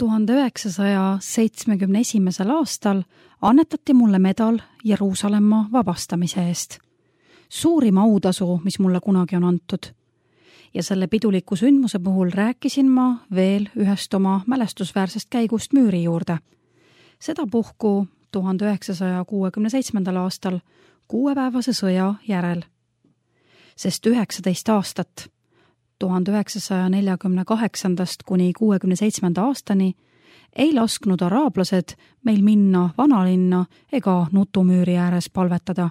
1971. aastal annetati mulle medal Jeruusalemma vabastamise eest. Suurim autasu, mis mulle kunagi on antud. Ja selle piduliku sündmuse puhul rääkisin ma veel ühest oma mälestusväärsest käigust müüri juurde. Seda puhku 1967. aastal 6-päevase sõja järel. Sest 19 aastat 1948. kuni 67. aastani ei lasknud araablased meil minna vanalinna ega nutumüüri ääres palvetada.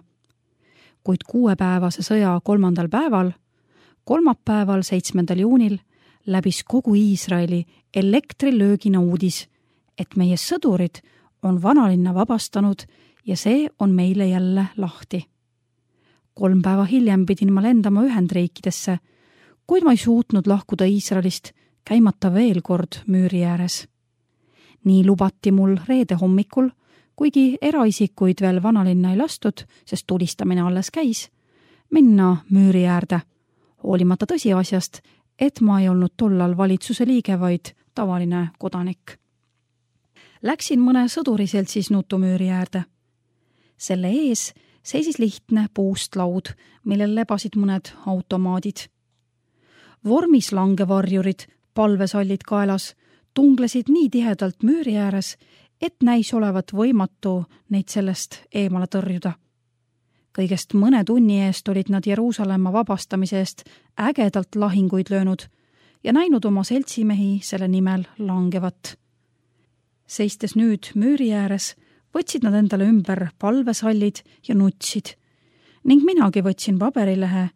Kuid 6-päevase sõja 3. päeval, kolmapäeval 7. juunil läbis kogu Iisraeli elektrilöögina uudis, et meie sõdurid on vanalinna vabastanud ja see on meile jälle lahti. 3 päeva hiljem pidin ma lendama Ühendriikidesse, kuid ma ei suutnud lahkuda Iisraelist, käimata veel kord müüri ääres. Nii lubati mul reede hommikul, kuigi eraisikuid veel vanalinna ei lastud, sest tulistamine alles käis, minna müüri äärde, hoolimata tõsiasjast, et ma ei olnud tollal valitsuse liige, vaid tavaline kodanik. Läksin mõne sõduriseltsis nutumüüri äärde. Selle ees seisis lihtne puust laud, millel lebasid mõned automaadid. Vormis langevarjurid, palvesallid kaelas, tunglesid nii tihedalt müüri ääres, et näis olevat võimatu neid sellest eemale tõrjuda. Kõigest mõne tunni eest olid nad Jeruusalemma vabastamise eest ägedalt lahinguid löönud ja näinud oma seltsimehi selle nimel langevat. Seistes nüüd müüri ääres, võtsid nad endale ümber palvesallid ja nutsid ning minagi võtsin paberilehe,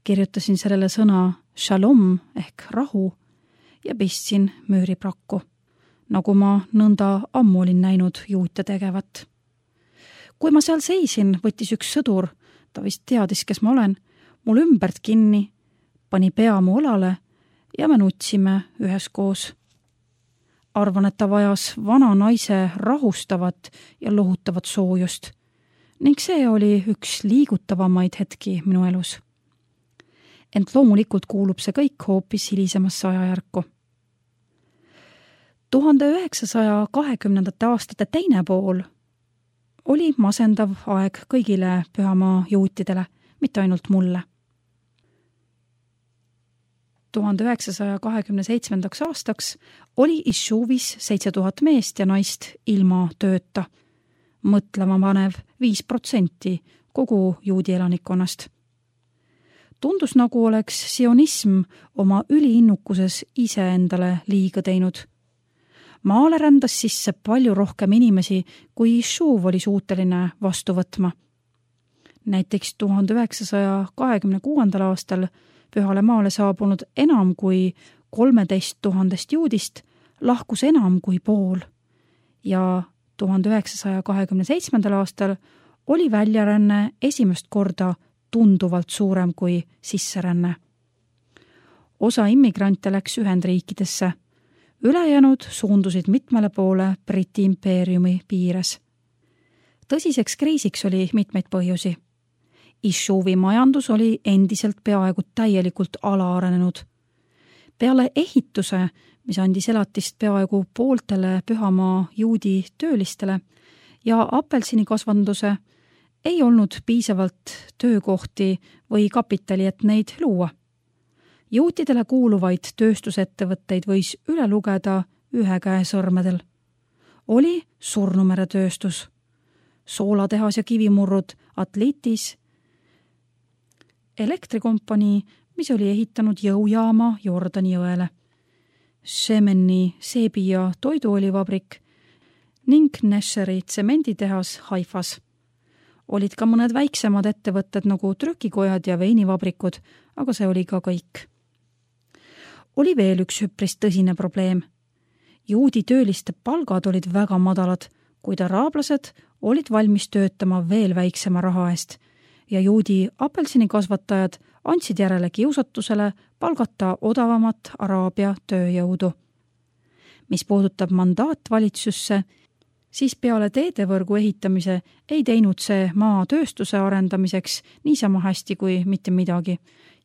kirjutasin sellele sõna shalom ehk rahu ja pistsin müüri prakku, nagu ma nõnda ammu olin näinud juute tegevat. Kui ma seal seisin, võttis üks sõdur, ta vist teadis, kes ma olen, mul ümbert kinni, pani pea mu õlale ja me nutsime üheskoos. Arvan, et ta vajas vana naise rahustavat ja lohutavat soojust ning see oli üks liigutavamaid hetki minu elus. Ent loomulikult kuulub see kõik hoopis hilisemasse ajajärku. 1920. aastate teine pool oli masendav aeg kõigile pühamaa juutidele, mitte ainult mulle. 1927. aastaks oli Ishuvis 7000 meest ja naist ilma tööta, mõtlema panev 5% kogu juudi elanikkonnast. Tundus nagu oleks sionism oma üliinnukuses iseendale liiga teinud. Maale rändas sisse palju rohkem inimesi, kui Ishuv oli suuteline vastu võtma. Näiteks 1926. aastal Pühale maale saabunud enam kui 13 000 juudist lahkus enam kui pool ja 1927. aastal oli väljaränne esimest korda tunduvalt suurem kui sisseränne. Osa immigrante läks Ühendriikidesse, ülejäänud suundusid mitmele poole Briti impeeriumi piires. Tõsiseks kriisiks oli mitmeid põhjusi. Ishuvi majandus oli endiselt peaaegu täielikult alaarenenud. Peale ehituse, mis andis elatist peaaegu pooltele pühamaa juudi töölistele ja apelsinikasvanduse, ei olnud piisavalt töökohti või kapitali, et neid luua. Juutidele kuuluvaid tööstusettevõtteid võis üle lugeda ühe käe sõrmedel. Oli surnumeretööstus, soolatehas ja kivimurrud Atlitis, elektrikompanii, mis oli ehitanud jõujaama Jordani jõele, Shemeni seebi- ja toiduolivabrik ning Nesheri tsemenditehas Haifas. Olid ka mõned väiksemad ettevõtted nagu trükikojad ja veinivabrikud, aga see oli ka kõik. Oli veel üks üpris tõsine probleem. Juudi tööliste palgad olid väga madalad, kuid araablased olid valmis töötama veel väiksema raha eest ja juudi apelsinikasvatajad andsid järele kiusatusele palgata odavamat Araabia tööjõudu. Mis puudutab mandaatvalitsusse, siis peale teedevõrgu ehitamise ei teinud see maa tööstuse arendamiseks niisama hästi kui mitte midagi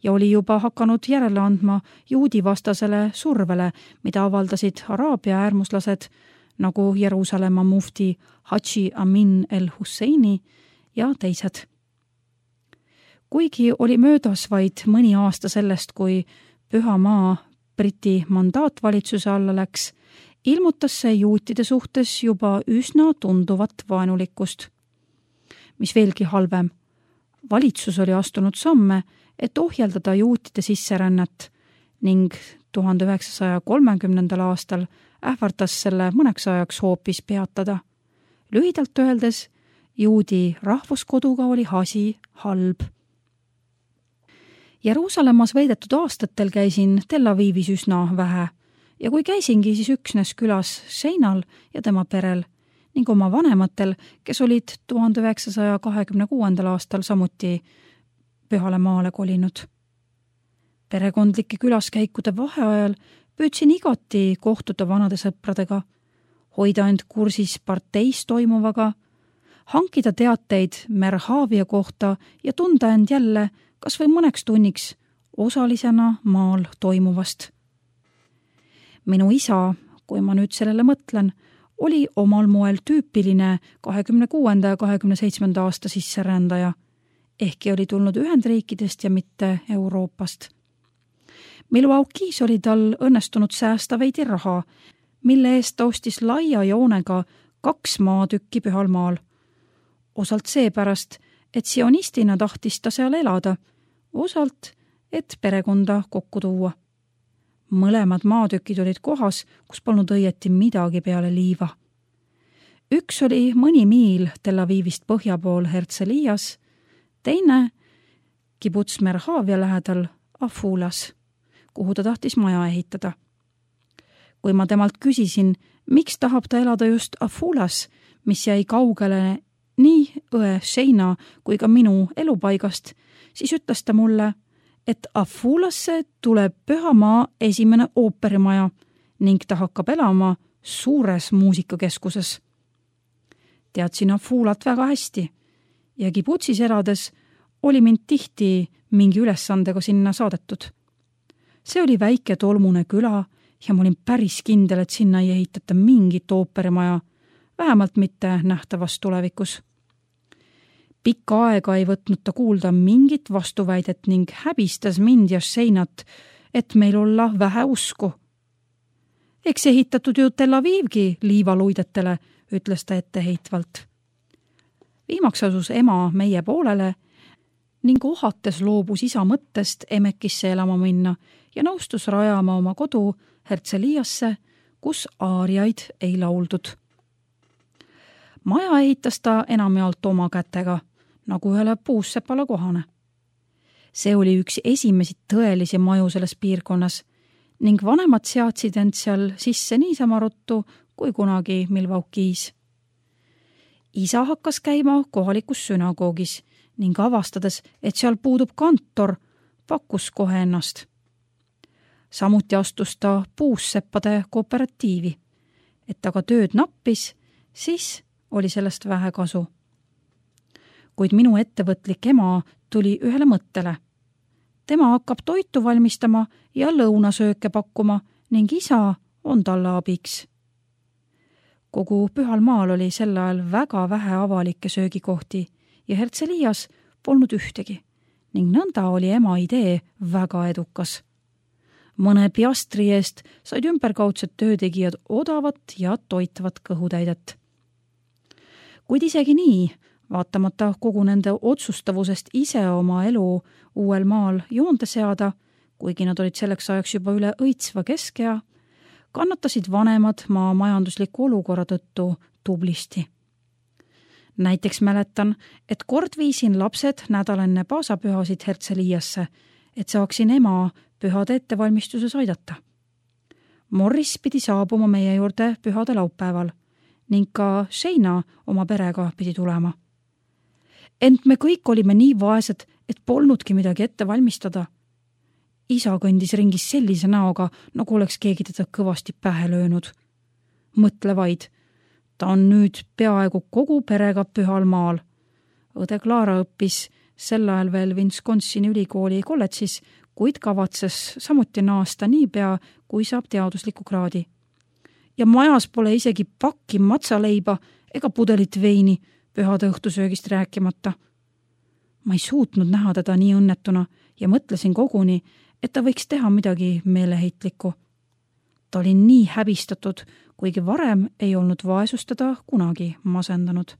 ja oli juba hakanud järele andma juudi vastasele survele, mida avaldasid Araabia äärmuslased nagu Jeruusalemma mufti Hadži Amin el-Husseini ja teised. Kuigi oli möödas vaid mõni aasta sellest, kui Püha Maa Briti mandaatvalitsuse alla läks, ilmutas see juutide suhtes juba üsna tunduvat vaenulikkust. Mis veelgi halvem, valitsus oli astunud samme, et ohjeldada juutide sisserännet ning 1930. aastal ähvardas selle mõneks ajaks hoopis peatada. Lühidalt öeldes, juudi rahvuskoduga oli asi halb. Jeruusalemmas veedetud aastatel käisin Tel Avivis üsna vähe ja kui käisingi, siis üksnes külas Sheinal ja tema perel ning oma vanematel, kes olid 1926. aastal samuti Pühale Maale kolinud. Perekondlike külaskäikude vaheajal püüdsin igati kohtuda vanade sõpradega, hoida end kursis parteis toimuvaga, hankida teateid Merhavia kohta ja tunda end jälle kas või mõneks tunniks osalisena maal toimuvast. Minu isa, kui ma nüüd sellele mõtlen, oli omal moel tüüpiline 26. ja 27. aasta sisserändaja, ehkki oli tulnud Ühendriikidest ja mitte Euroopast. Milwaukee's oli tal õnnestunud säästa veidi raha, mille eest ta ostis laia joonega 2 maatükki Pühal Maal. Osalt seepärast, et sionistina tahtis ta seal elada, osalt, et perekonda kokku tuua. Mõlemad maatükid olid kohas, kus polnud õieti midagi peale liiva. Üks oli mõni miil Tel Avivist põhja pool Herzlias, teine kibuts Merhavia lähedal Afulas, kuhu ta tahtis maja ehitada. Kui ma temalt küsisin, miks tahab ta elada just Afulas, mis jäi kaugele nii õe Sheina kui ka minu elupaigast, siis ütles ta mulle, et Afulasse tuleb Püha Maa esimene ooperimaja ning ta hakkab elama suures muusikakeskuses. Teadsin Afulat väga hästi ja kibutsis elades oli mind tihti mingi ülesandega sinna saadetud. See oli väike tolmune küla ja ma olin päris kindel, et sinna ei ehitata mingit ooperimaja, vähemalt mitte nähtavas tulevikus. Pikka aega ei võtnud ta kuulda mingit vastuväidet ning häbistas mind ja Sheinat, et meil olla vähe usku. Eks ehitatud ju Tel Avivgi liivaluidetele, ütles ta etteheitvalt. Viimaks asus ema meie poolele ning ohates loobus isa mõttest Emekisse elama minna ja nõustus rajama oma kodu Herzliasse, kus aariaid ei lauldud. Maja ehitas ta enamjaolt oma kätega, nagu ühele puussepale kohane. See oli üks esimesi tõelisi maju selles piirkonnas ning vanemad seadsid end seal sisse niisama ruttu kui kunagi Milwaukee's. Isa hakkas käima kohalikus sünagoogis ning avastades, et seal puudub kantor, pakkus kohe ennast. Samuti astus ta puusseppade kooperatiivi. Et aga tööd nappis, siis oli sellest vähe kasu. Kuid minu ettevõtlik ema tuli ühele mõttele. Tema hakkab toitu valmistama ja lõunasööke pakkuma ning isa on talle abiks. Kogu Pühal Maal oli sel ajal väga vähe avalikke söögikohti ja Herzlias polnud ühtegi ning nõnda oli ema idee väga edukas. Mõne piastri eest said ümberkaudsed töötegijad odavat ja toitavat kõhutäidet. Kuid isegi nii, vaatamata kogu nende otsustavusest ise oma elu uuel maal joonde seada, kuigi nad olid selleks ajaks juba üle õitsva keskea, kannatasid vanemad maa majandusliku olukorra tõttu tublisti. Näiteks mäletan, et kord viisin lapsed nädal enne paasapühasid Herzliasse, et saaksin ema pühade ettevalmistuses aidata. Morris pidi saabuma meie juurde pühade laupäeval ning ka Sheina oma perega pidi tulema. Ent me kõik olime nii vaesed, et polnudki midagi ette valmistada. Isa kõndis ringis sellise näoga, nagu oleks keegi teda kõvasti pähe löönud. Mõtle vaid, ta on nüüd peaaegu kogu perega Pühal Maal. Õde Klaara õppis sel ajal veel Wisconsini ülikooli kolledžis, kuid kavatses samuti naasta niipea, kui saab teadusliku kraadi. Ja majas pole isegi pakki matsaleiba ega pudelit veini, pühade õhtusöögist rääkimata. Ma ei suutnud näha teda nii õnnetuna ja mõtlesin koguni, et ta võiks teha midagi meeleheitlikku. Ta oli nii häbistatud, kuigi varem ei olnud vaesus teda kunagi masendanud.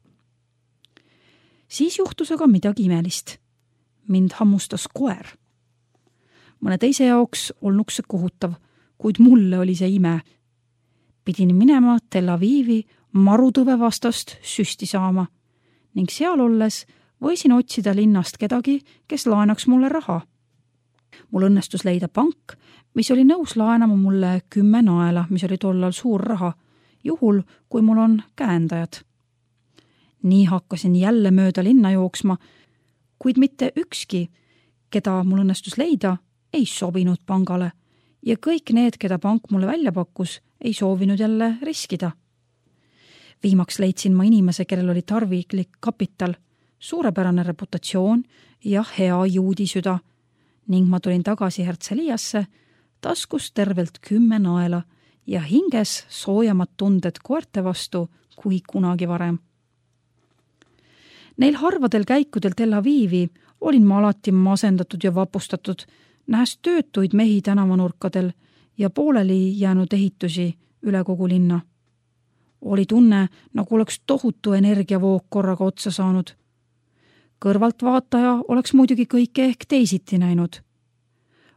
Siis juhtus aga midagi imelist. Mind hammustas koer. Mõne teise jaoks olnuks see kohutav, kuid mulle oli see ime. Pidin minema Tel Avivi marutõve vastast süsti saama ning seal olles võisin otsida linnast kedagi, kes laenaks mulle raha. Mul õnnestus leida pank, mis oli nõus laenama mulle 10 naela, mis oli tollal suur raha, juhul kui mul on käendajad. Nii hakkasin jälle mööda linna jooksma, kuid mitte ükski, keda mul õnnestus leida, ei sobinud pangale ja kõik need, keda pank mulle välja pakkus, ei soovinud jälle riskida. Viimaks leidsin ma inimese, kellel oli tarviklik kapital, suurepärane reputatsioon ja hea juudisüda ning ma tulin tagasi Herzliasse, taskus tervelt 10 naela ja hinges soojamad tunded koerte vastu kui kunagi varem. Neil harvadel käikudel Tel Avivi olin ma alati masendatud ja vapustatud, nähes töötuid mehi tänavanurkadel ja pooleli jäänud ehitusi üle kogu linna. Oli tunne, nagu oleks tohutu energiavoog korraga otsa saanud. Kõrvaltvaataja oleks muidugi kõike ehk teisiti näinud.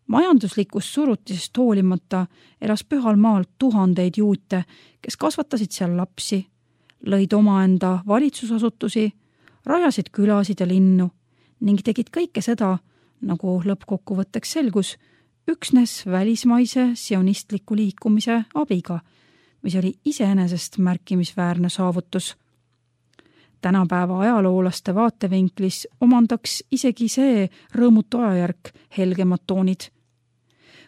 Majanduslikust surutisest hoolimata elas Pühal maal tuhandeid juute, kes kasvatasid seal lapsi, lõid omaenda valitsusasutusi, rajasid külasid ja linnu ning tegid kõike seda, nagu lõppkokkuvõtteks selgus, üksnes välismaise sionistliku liikumise abiga, mis oli iseenesest märkimisväärne saavutus. Tänapäeva ajaloolaste vaatevinklis omandaks isegi see rõõmutu ajajärk helgemad toonid.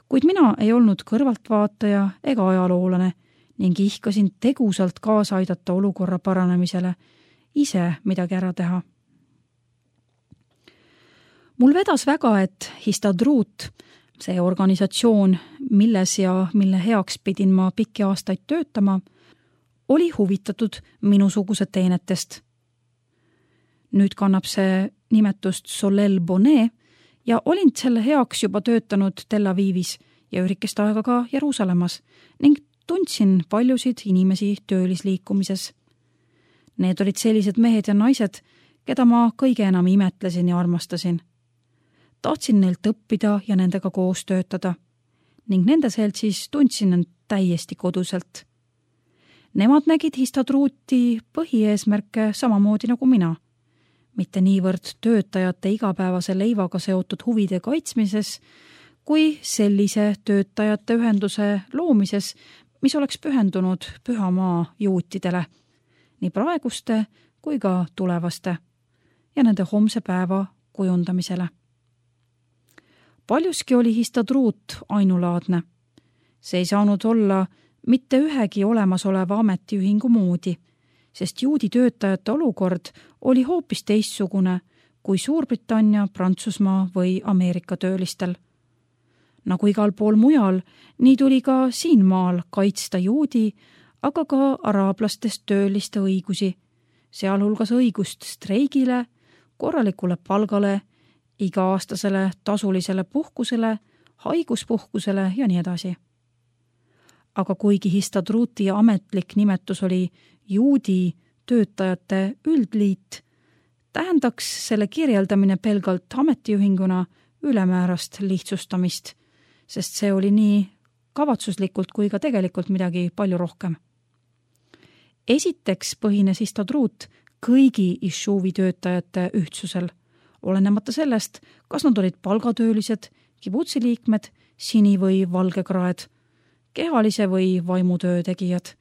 Kuid mina ei olnud kõrvaltvaataja ega ajaloolane ning ihkasin tegusalt kaasa aidata olukorra paranemisele, ise midagi ära teha. Mul vedas väga, et Histadrut, see organisatsioon, milles ja mille heaks pidin ma pikki aastaid töötama, oli huvitatud minusuguse teenetest. Nüüd kannab see nimetust Solel Bonnet ja olin selle heaks juba töötanud Tel Avivis ja ürikest aega ka Jeruusalemmas ning tundsin paljusid inimesi töölisliikumises. Need olid sellised mehed ja naised, keda ma kõige enam imetlesin ja armastasin. Tahtsin neilt õppida ja nendega koos töötada ning nende seltsis tundsin end täiesti koduselt. Nemad nägid Histadruti põhieesmärke samamoodi nagu mina. Mitte niivõrd töötajate igapäevase leivaga seotud huvide kaitsmises, kui sellise töötajate ühenduse loomises, mis oleks pühendunud Püha maa juutidele, nii praeguste kui ka tulevaste ja nende homse päeva kujundamisele. Paljuski oli Histadrut ainulaadne. See ei saanud olla mitte ühegi olemasoleva ametiühingu moodi, sest juudi töötajate olukord oli hoopis teistsugune kui Suurbritannia, Prantsusmaa või Ameerika töölistel. Nagu igal pool mujal, nii tuli ka siin maal kaitsta juudi, aga ka araablastest tööliste õigusi, sealhulgas õigust streigile, korralikule palgale, iga-aastasele tasulisele puhkusele, haiguspuhkusele ja nii edasi. Aga kuigi Histadruti ametlik nimetus oli juudi töötajate üldliit, tähendaks selle kirjeldamine pelgalt ametiühinguna ülemäärast lihtsustamist, sest see oli nii kavatsuslikult kui ka tegelikult midagi palju rohkem. Esiteks põhines Histadrut kõigi Ishuvi töötajate ühtsusel, olenemata sellest, kas nad olid palgatöölised, kibutsi liikmed, sini- või valgekraed, kehalise või vaimutöö tegijad.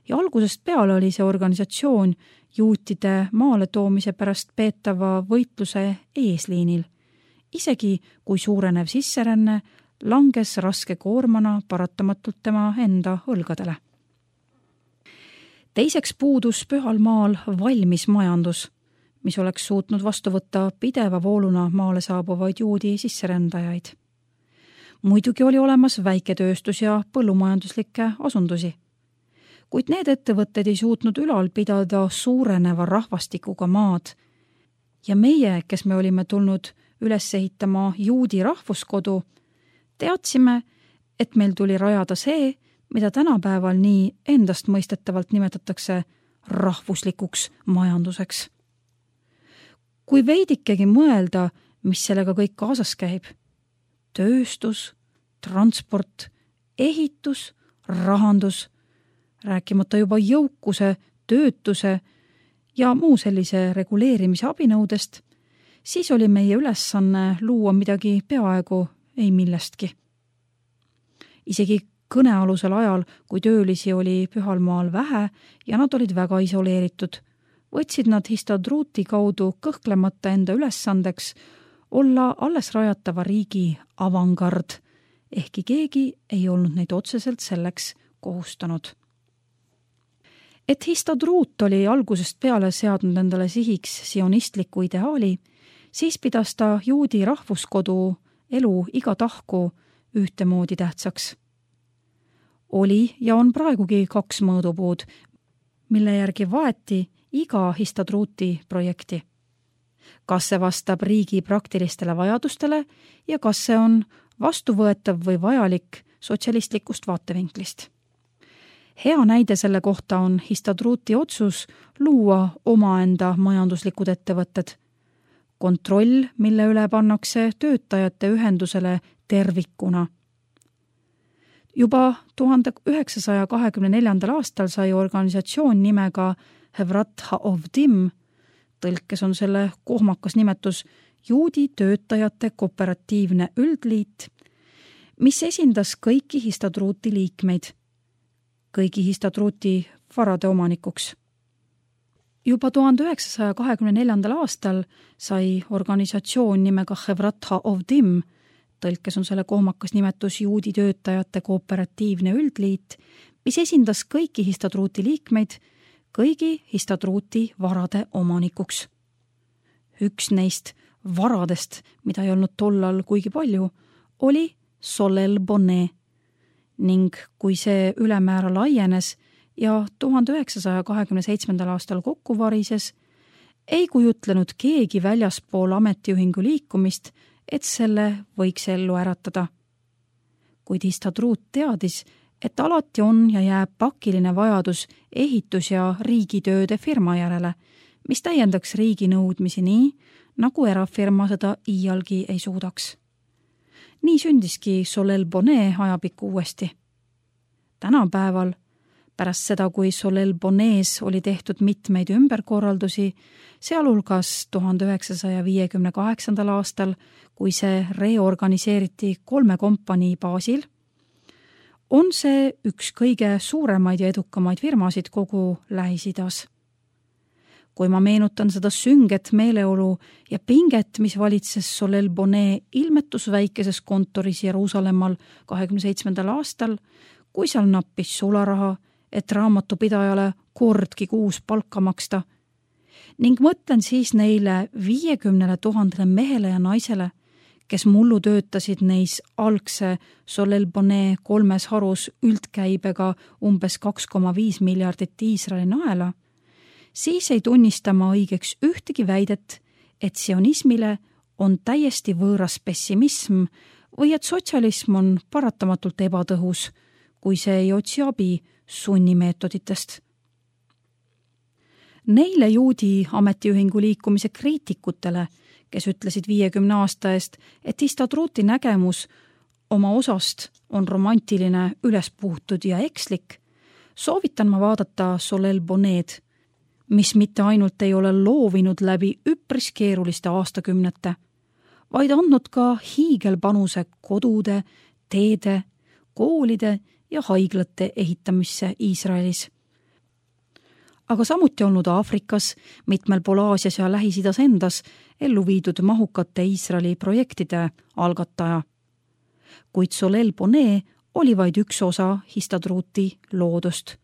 Ja algusest peale oli see organisatsioon juutide maale toomise pärast peetava võitluse eesliinil, isegi kui suurenev sisseränne langes raske koormana paratamatult tema enda õlgadele. Teiseks puudus Pühal maal valmis majandus, mis oleks suutnud vastu võtta pideva vooluna maale saabuvaid juudi sisserändajaid. Muidugi oli olemas väiketööstus ja põllumajanduslikke asundusi, kuid need ettevõtted ei suutnud ülal pidada suureneva rahvastikuga maad ja meie, kes me olime tulnud üles ehitama juudi rahvuskodu, teadsime, et meil tuli rajada see, mida tänapäeval nii endastmõistetavalt nimetatakse rahvuslikuks majanduseks. Kui veidikegi mõelda, mis sellega kõik kaasas käib, tööstus, transport, ehitus, rahandus, rääkimata juba jõukuse, töötuse ja muu sellise reguleerimise abinõudest, siis oli meie ülesanne luua midagi peaaegu ei millestki. Isegi kõnealusel ajal, kui töölisi oli Pühalmaal vähe ja nad olid väga isoleeritud, võtsid nad Histadruuti kaudu kõhklemata enda ülesandeks olla alles rajatava riigi avangard, ehkki keegi ei olnud neid otseselt selleks kohustanud. Et Histadruut oli algusest peale seadnud endale sihiks sionistliku ideaali, siis pidas ta juudi rahvuskodu elu iga tahku ühtemoodi tähtsaks. Oli ja on praegugi 2 mõõdupuud, mille järgi vaeti iga Histadruuti projekti. Kas see vastab riigi praktilistele vajadustele ja kas see on vastuvõetav või vajalik sotsialistlikust vaatevinklist. Hea näide selle kohta on Histadruuti otsus luua omaenda majanduslikud ettevõtted. Kontroll, mille üle pannakse töötajate ühendusele tervikuna. Juba 1924. aastal sai organisatsioon nimega Hevrat HaOvdim, tõlkes on selle kohmakas nimetus Juudi töötajate kooperatiivne üldliit, mis esindas kõiki Histadruuti liikmeid, kõigi Histadruuti varade omanikuks. Juba 1924. aastal sai organisatsioon nimega Hevrat HaOvdim, tõlkes on selle kohmakas nimetus Juudi töötajate kooperatiivne üldliit, mis esindas kõiki Histadruuti liikmeid, kõigi Histadruuti varade omanikuks. Üks neist varadest, mida ei olnud tollal kuigi palju, oli Solel Bonnet ning kui see ülemäära laienes ja 1927. aastal kokku varises, ei kujutlenud keegi väljaspool ametiühingu liikumist, et selle võiks ellu äratada. Kuid Histadruut teadis, et alati on ja jääb pakiline vajadus ehitus- ja riigitööde firma järele, mis täiendaks riigi nõudmisi nii, nagu erafirma seda iialgi ei suudaks. Nii sündiski Solel Bonnet ajapikku uuesti. Tänapäeval, pärast seda, kui Solel Bonnetis oli tehtud mitmeid ümberkorraldusi, sealhulgas 1958. aastal, kui see reorganiseeriti 3 kompanii baasil, on see üks kõige suuremaid ja edukamaid firmasid kogu Lähis-Idas. Kui ma meenutan seda sünget meeleolu ja pinget, mis valitses Solel Bonnet ilmetus väikeses kontoris Jeruusalemmal 27. aastal, kui seal nappis sularaha, et raamatupidajale kordki kuus palka maksta, ning mõtlen siis neile 50 000 mehele ja naisele, kes mullu töötasid neis algse Solel Bonnet 3 harus üldkäibega umbes 2,5 miljardit Iisraeli naela, siis ei tunnista ma õigeks ühtegi väidet, et sionismile on täiesti võõras pessimism või et sotsialism on paratamatult ebatõhus, kui see ei otsi abi sunnimeetoditest. Neile juudi ametiühingu liikumise kriitikutele, kes ütlesid 50 aasta eest, et Histadruuti nägemus oma osast on romantiline, ülespuhutud ja ekslik, soovitan ma vaadata Solel Bonnet, mis mitte ainult ei ole loovinud läbi üpris keeruliste aastakümnete, vaid andnud ka hiigelpanuse kodude, teede, koolide ja haiglate ehitamisse Iisraelis. Aga samuti olnud Aafrikas, mitmel pool Aasias ja Lähis-Idas endas ellu viidud mahukate Iisraeli projektide algataja. Kuid Solel Bonnet oli vaid üks osa Histadruuti loodust.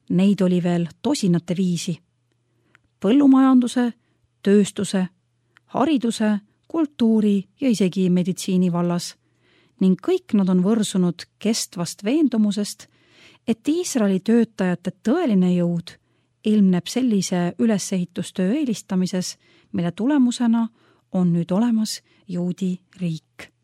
Neid oli veel tosinate viisi. Põllumajanduse, tööstuse, hariduse, kultuuri ja isegi meditsiini vallas ning kõik nad on võrsunud kestvast veendumusest, et Iisraeli töötajate tõeline jõud ilmneb sellise ülesehitustöö eelistamises, mille tulemusena on nüüd olemas juudi riik.